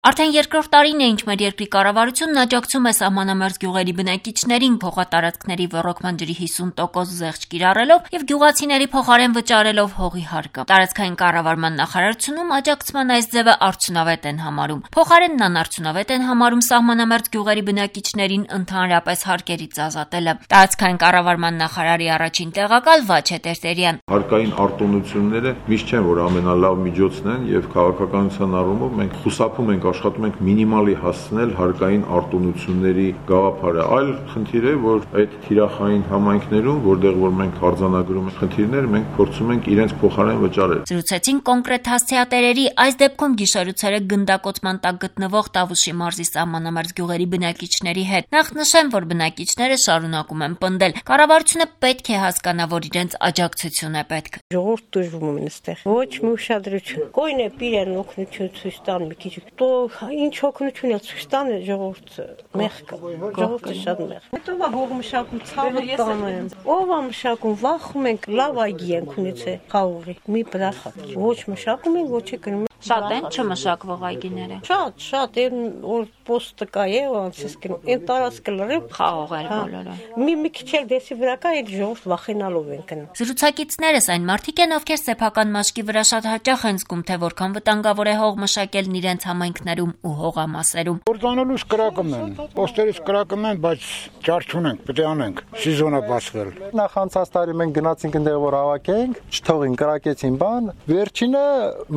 Արդեն երկրորդ տարին է, ինչ մեր երկրի կառավարությունն աջակցում է սահմանամերձ գյուղերի բնակիչներին փոխատարածքների ոռոգման ջրի 50% զեղչ կիրառելով եւ գյուղացիների փոխարեն վճարելով հողի հարկը։ Տարածքային կառավարման նախարարությունում աջակցման այս ձևը արդյունավետ են համարում։ Փոխարենն անարդյունավետ են համարում սահմանամերձ գյուղերի բնակիչներին ընդհանրապես հարկերից ազատելը։ Տարածքային կառավարման նախարարի առաջին տեղակալ Վաչե Տերտերյան. Հարկային արտոնությունները միշտ չեն, որ ամենալավ միջոցն են եւ քաղաքականության առումով մենք խուսափում ենք աշխատում ենք մինիմալի հասցնել հարկային արտոնությունների գաղափարը։ Այլ խնդիր է, որ այդ թիրախային համայնքներում, որտեղ որ մենք արձանագրում ենք խնդիրներ, մենք փորձում ենք իրենց փոխարեն վճարել։ Զրուցեցին կոնկրետ հասցեատերերի, այս դեպքում գիշերուցերը գնդակոծման տակ գտնվող Տավուշի մարզի սահմանամերձ գյուղերի բնակիչների հետ։ Նախ նշեմ, որ բնակիչները շարունակում են պնդել։ Կառավարությունը պետք է հասկանա, որ իրենց աջակցություն է պետք։ Ժողովուրդ դժվում են այստեղ։ Ոչ մի ուշադրություն։ Գույն է իրեն օգնություն ցույց տան մի քիչ։ Ինչ օգնություն է ցույց տանը ժողովուրդը մեղք ժողովուրդը շատ մեղք հետո հող մշակում ցավը տանեմ ով է մշակում վախում ենք լավ այգի ենք ունեցել խաղողի մի բրախա ոչ մշակում ենք ոչ է Շատ են չմշակվող այգիները։ Շատ այն որ պոստը կա է անցես կնում այն տարածքը լրիվ խաղողեր բոլորը մի քիչ էլ դեսի վրա կա այդ ժողովուրդ վախենալով են գնում Զրուցակիցներս այն մարդիկ են ովքեր սեփական մաշկի վրա շատ հաճախ են զգում թե որքան վտանգավոր է հող մշակելն իրենց համայնքներում ու հողամասերում Կործանելուց կրակում են պոստերից կրակում են բայց ճար չունենք պետք է անենք սեզոնը բացվել Նախ անցած տարի մենք գնացինք այնտեղ որ հավաքենք չթողին կրակեցին բան վերջինը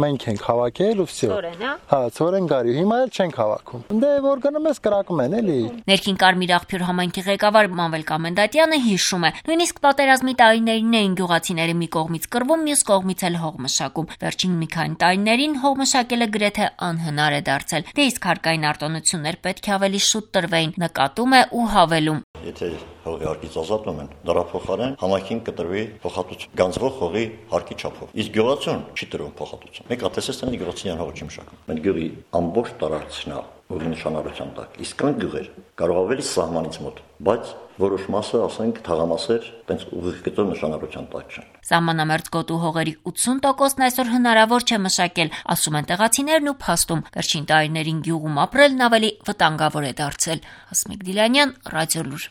մենք ենք հավաքել ու վсё Հա ծորեն գարի հիմա էլ չենք հավաքում Դե որ գնում ես կրակում են էլի Ներքին Կարմիր աղբյուր համայնքի ղեկավար Մանվել Կամենդատյանը հիշում է նույնիսկ պատերազմի տարիներին էին գյուղացիները մի կողմից կռվում մյուս կողմից էլ հող մշակում վերջին մի քանի տարիներին հող մշակելը գրեթե անհնար է դարձել դե իսկ հարկային արտոնություններ պետք է ավելի շուտ տրվեին նկատում է ու հավելում Եթե հողի հարկից ազատում են, դրա փոխարեն համայնքին կտրվի փոխհատուցում, գանձվող հողի հարկի չափով։ Իսկ գյուղացուն չի տրվում փոխհատուցում։ Մեկ հատեսես տանի գյուղացիյան հողը չի մշակում։ Մենք գյուղի ամբողջ տարածքն հողի նշանառության տակ։ Իսկ կան գյուղեր, կարող ավելի սահմանից մոտ, բայց որոշ մասը, ասենք, թաղամասեր, տենց ուղիղ գծով նշանառության տակ չեն։ Սահմանամերձ գոտու հողերի 80%-ն այսօր հնարավոր չէ մշակել, ասում են տեղացիներն ու փաստում։ Վերջին տարիներին գյուղում ապրելն ավելի վտանգավոր է դարձել։ Հասմիկ Դիլանյան, Ռադիոլուր։